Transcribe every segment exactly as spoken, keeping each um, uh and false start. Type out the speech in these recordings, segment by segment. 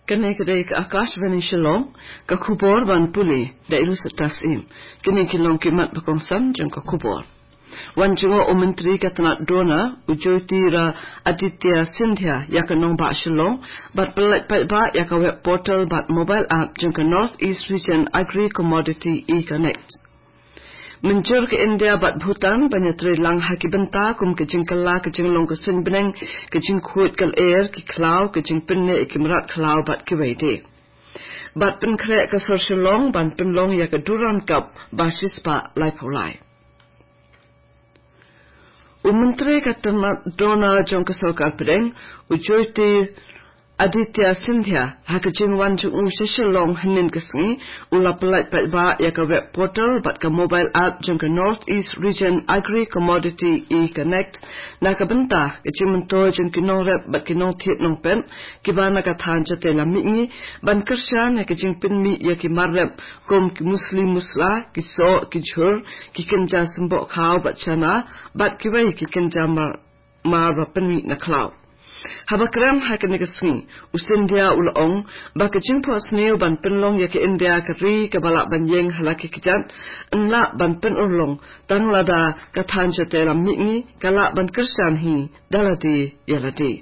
Kane ka dei ka Akashvani Shillong, ka khubor ban pule da i Lusitas Im. Kine ki long ki mat ba kongsan jong ka khubor. Wan jngoh u Myntri ka tnat DoNER, u Jyotiraditya Scindia, ïa ka nongbah Shillong, bad pyllait paidbah ïa ka web portal bad mobile app jong ka North East Region Agri Commodity E-Connect. Mynjur ka India bad Bhutan ban ïatrei lang ha ki bynta kum ka jingkylla ka jinglong ka suiñ bneng, ka jingkhuid ka lyer, ki khlaw, ka jingpynneh ïa ki mrad khlaw bad kiwei de. Bad pynkhreh ka sor Shillong ban pynlong ïa ka Durand Cup ba shispah laiphew lai. U Myntri ka tnat DoNER jong ka Sorkar Pdeng, u Jyotiraditya Scindia, ha ka jingwan jong u sha Shillong hynnin ka sngi, u la pyllait paidbah ïa ka web portal bad ka mobile app jong ka North East Region Agri Commodity E-Connect, na ka bynta ka jingmyntoi jong ki nongrep bad ki nongthied nongpet kiba na ka thaiñ Jaiñtia Mihngi, ban kyrshan ïa ka jingpynmih ïa ki mar rep kum ki musli musla, ki soh, ki jhur, ki kynja symboh khaw bad chana, bad kiwei ki kynja mar, mar ba pynmih na khlaw. Haba kren ha kane ka sngi, u Scindia u la ong ba ka jingphohsniew ban pynlong ïa ka India ka ri kaba lah ban ïeng ha la ki kjat, yn lah ban pynurlong tang lada ka thaiñ Jaiñtia Mihngi ka lah ban kyrshan hi da lade ïa lade.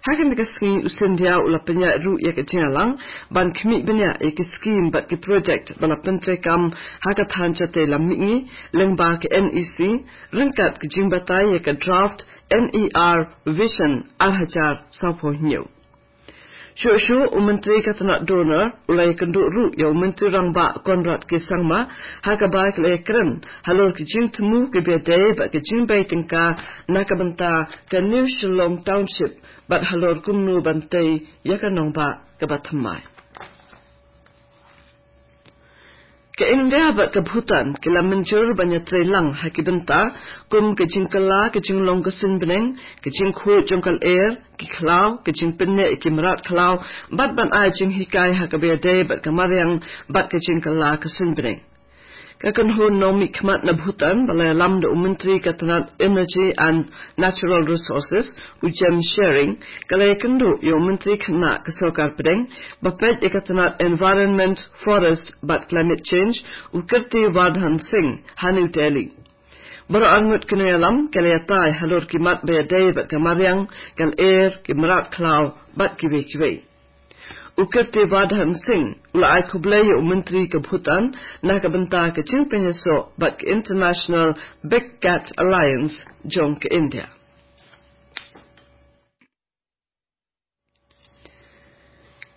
Ha kane ka sngi u Scindia u la pynïaid ruh ïa ka jingïalang ban khmih bniah ïa ki skim bad ki project ba la pyntreikam ha ka thaiñ Jaiñtia Mihngi lyngba ka NEC, ryngkat ka jingbatai ïa ka draft NER Vision ar hajar sawphew hynñiew. Shuh shuh u Myntri ka tnat DoNER u la ïakynduh ruh ïa u Myntri Rangbah Conrad K Sangma, ha kaba ki la ïakren halor ki jingthmu kiba ïadei bad ka jingbei tyngka na ka bynta ka New Shillong Township, bad halor kumno ban tei ïa ka nongbah kaba thymmai. Ka India bad ka Bhutan ki la mynjur ban ïatrei lang ha ki bynta kum ka jingkylla ka jinglong ka suiñ bneng, ka jingkhuid jong ka lyer, ki khlaw, ka jingpynneh ïa ki mrad khlaw, bad ban ai jinghikai ha kaba ïadei bad ka mariang bad ka jingkylla ka suiñ bneng. Ka kynhun nongmihkhmat na Bhutan ba la ïalam da u Myntri ka tnat Energy and Natural Resources, u James Sherring, ka la ïakynduh ïa u Myntri khynnah ka Sorkar Pdeng ba peit ïa ka tnat Environment, Forest bad Climate Change, u Kirti Vardhan Singh, ha New Delhi. Baroh arngut ki nongïalam ki la ïatai halor ki mat ba ïadei bad ka mariang, ka lyer, ki mrad khlaw bad kiwei kiwei. U Kirti Vardhan Singh u la ai khublei ïa u Myntri ka Bhutan na ka bynta ka jingpynïasoh bad ka International Big Cat Alliance jong ka India.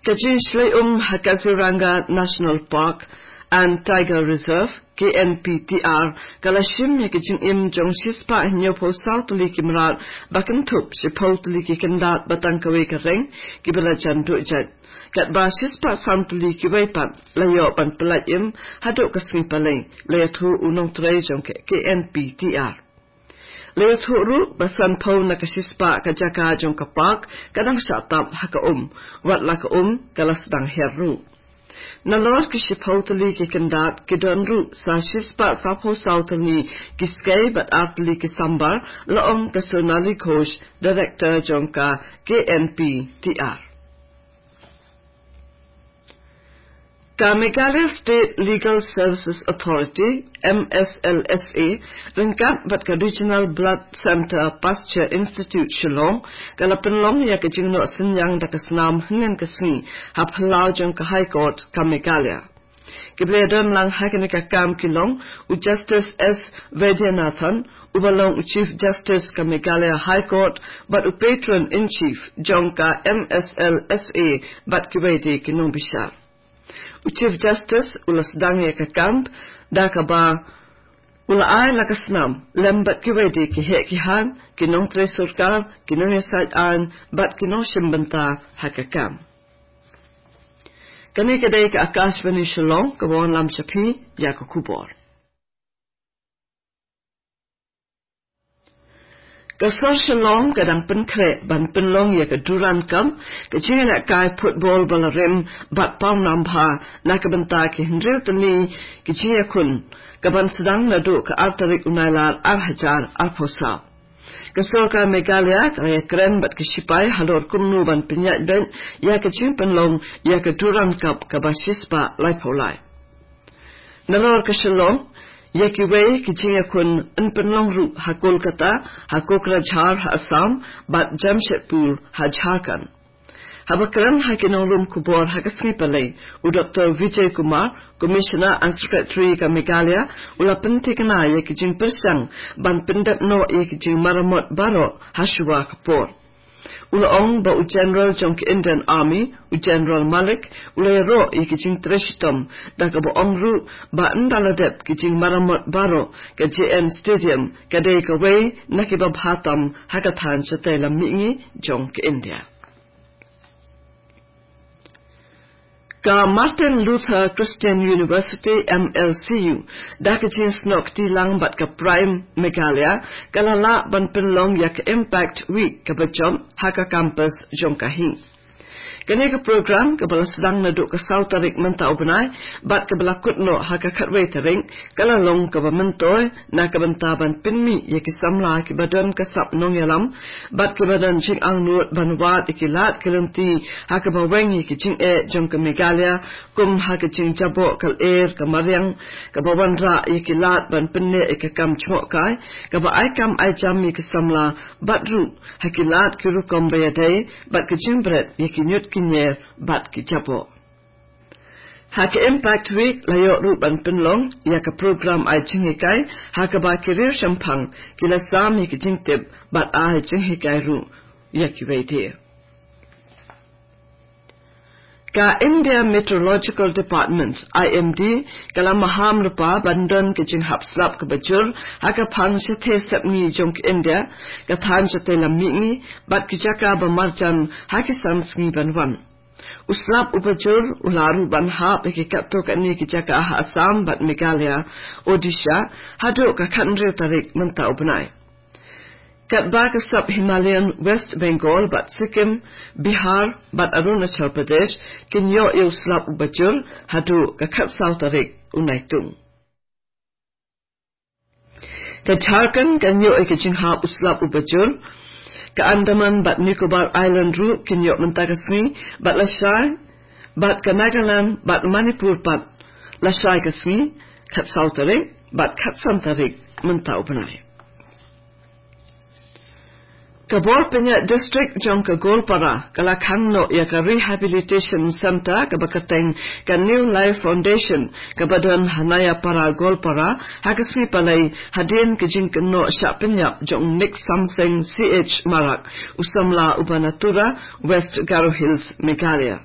Ka jingshlei um ha Kaziranga National Park and Tiger Reserve, K N P T R, ka la shim ïa ka jingim jong shispah hynñiewphew saw tylli ki mrad, ba kynthup shiphew tylli ki kyndat ba tang kawei ka reng, kiba la jan duh jait. Katba shispah san tylli kiwei pat la ïoh ban pyllait im haduh ka sngi Palei, la ïathuh u nongtrei jong ka K N P T R. La ïathuh ruh ba sanphew na ka shispah ka jaka jong ka park ka dang shah tap ha ka um, wat la ka um ka la sdang her ruh. Nalor ki shiphew tylli ki kyndat ki don ruh sa shispah sawphew saw tylli ki skei bad ar tylli ki sambar, la ong ka Sonali Ghosh, Director jong ka K N P T R. Ka Meghalaya State Legal Services Authority, M S L S A, ryngkat bad ka Regional Blood Centre Pasteur Institute Shillong, ka la pynlong ïa ka jingnoh synñiang da ka snam hynnin ka sngi ha phyllaw jong ka High Court ka Meghalaya. Kiba la ïadon lang ha kane ka kam ki long u Justice S Vaidyanathan, uba long u Chief Justice ka Meghalaya High Court, bad u Patron in Chief jong ka M S L S A, bad kiwei de ki nongbishar. U Chief Justice u la sdang ïa ka kam da kaba u la ai la ka snam lem bad kiwei de ki heh ki haiñ, ki nongtrei sorkar, ki nongïasaid aiñ bad ki nongshim bynta ha ka kam. Kane ka dei ka Akashvani Shillong, kaba wanlam sha phi ïa ka khubor. Ka sor Shillong ka dang pynkhreh ban pynlong ïa ka Durand Cup, ka jingïalehkai football ba la rim bad pawnam bha na ka bynta ki hynriew tylli ki jingïakhun, kaban sdang naduh ka ar tarik u Nailar ar hajar arphew saw. Ka sorkar Meghalaya ka la ïakren bad ki shipai halor kumno ban pynïaid beit ïa ka jingpynlong ïa ka Durand Cup kaba shispah laiphew lai. Nalor ka Shillong, ïa kiwei ki jingïakhun yn pynlong ruh ha Kolkata, ha Kokrajhar ha Assam, bad Jamshedpur ha Jharkhand. Haba kren ha ki nonglum khubor ha ka sngi Palei, u Doktor Vijay Kumar, Commissioner and Secretary ka Meghalaya, u la pynthikna ïa ki jingpyrshang ban pyndep noh ïa ki jingmaramot baroh ha shuwa ka por. U la ong ba u General jong ka Indian Army, u General Malik, u la ïaroh ïa ki jingtrei shitom, da kaba ong ruh ba ynda la dep ki jingmaramot baroh, ka J N Stadium ka dei kawei na kiba bha tam ha ka thaiñ shatei lam mihngi jong ka India. Ka Martin Luther Christian University, M L C U, da ka jingsnoh kti lang bad ka PRIME Meghalaya, ka la lah ban pynlong ïa ka Impact Week kaba jop ha ka campus jong ka hi. Kane ka program kaba la sdang naduh ka saw tarik mynta u bnai, bad kaba la kut noh ha ka khatwei tarik, ka la long kaba myntoi na ka bynta ban pynmih ïa ki samla kiba don ka sap nongïalam bad kiba don jingangnud ban wad ïa ki lad ki lynti ha kaba weng ïa ki jingeh jong ka Meghalaya, kum ha ka jingjaboh ka lyer ka mariang, kaba wanrah ïa ki lad ban pynneh ïa ka kam jngohkai, kaba ai kam ai jam ïa ki samla, bad ruh ha ki lad ki rukom ba ïadei bad ka jingbret ïa ki ñiut ki ñier bad ki jaboh. Ha ka Impact Week la ïoh ruh ban pynlong ïa ka program ai jinghikai, ha kaba ki riewshemphang ki la sam ïa ki jingtip bad ai jinghikai ruh ïa kiwei de. Ka India Meteorological Department, I M D, ka la maham lypa ban don ka jinghap slap kaba jur ha ka phang shathie sepngi jong ka India, ka thaiñ shatei lam mihngi, bad ki jaka ba marjan ha ki san sngi ban wan. U slap uba jur u la ruh ban hap ïa ki katto katne ki jaka ha Assam bad Meghalaya, Odisha, haduh ka khathynriew tarik mynta u bnai. Katba ka sub Himalayan West Bengal bad Sikkim, Bihar bad Arunachal Pradesh kin ïoh ïa u slap uba jur haduh ka khatsaw tarik u Naitung. Ka Jharkhand kan ïoh ïa ka jinghap u slap uba jur. Ka Andaman bad Nicobar Island ruh kin ïoh mynta ka sngi, bad lashai, bad ka Nagaland bad Manipur pat lashai ka sngi, khatsaw tarik bad khatsan tarik mynta u bnai. Ka bor pynïaid district jong ka Golpara ka la khang noh ïa ka Rehabilitation Centre kaba kyrteng ka New Life Foundation, kaba don ha Nayapara Golpara, ha ka sngi Palei, hadien ka jingkynnoh shah pynïap jong u Nick Samseng C H Marak, u samla uba na Tura, West Garo Hills, Meghalaya.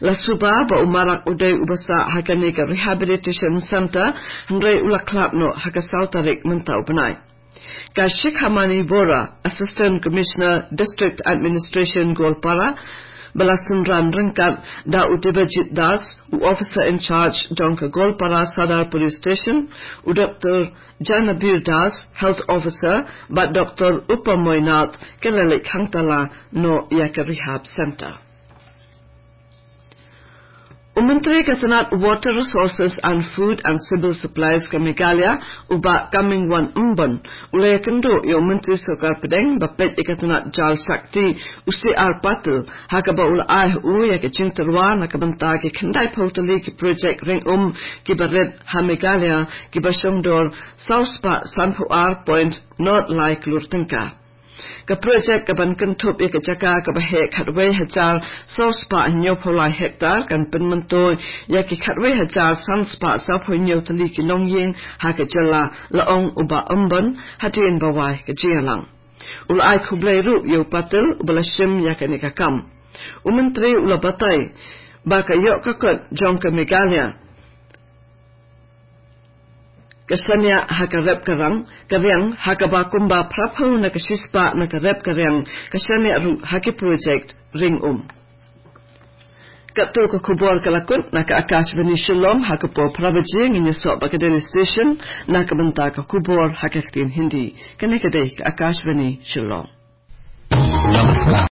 La suba ba u Marak u dei uba sah ha kane ka Rehabilitation Centre, hynrei u la khlad noh ha ka saw tarik mynta u bnai. Ka Shikhamani Vora, Assistant Commissioner District Administration Golpara, ba la synran ryngkat da u Debajit Das, u Officer in Charge jong ka Golpara Sadar Police Station, u Doctor Janabir Das, Health Officer, bad Doctor Upamoy Nath, ki la leit khang tala noh ïa ka Rehab Centre. U Myntri ka tnad Water Resources and Food and Civil Supplies ka Meghalaya, u Bah Comingone Ymbon, u la ïakynduh ïa u Myntri Sorkar Pdeng ba peit ïa ka tnad Jal Shakti, u C R Patil, ha kaba u la ai ha u ïa ka jingtyrwa na ka bynta ki khyndai phew tylli ki projek ring um kiba rit ha Meghalaya, kiba shongdor saw spah sanphew ar point nod lai klur tyngka. Ka projek kaban kynthup ïa ka jaka kaba heh khatwei hajar saw spah hynñiewphew lai hektar kan pynmyntoi ïa ki khatwei hajar san spah sawphew hynñiew tylli ki longïing ha ka jylla, la ong u Bah Ymbon hadien ba wai ka jingïalang. U la ai khublei ruh ïa u Patil uba la shim ïa kane ka kam. U Myntri u la batai ba ka ïoh ka kot jong ka Meghalaya ka shaniah ha ka rep ka rang, ka riang, ha kaba kumba phraphew na ka shispah na ka rep ka riang ka shaniah ruh ha ki projek ring um. Katto ka khubor ka la kut na ka Akashvani Shillong, ha ka por phra baje ngin ïasoh bad ka Delhi Station na ka bynta ka khubor ha ka ktien Hindi. Kane ka dei ka Akashvani Shillong.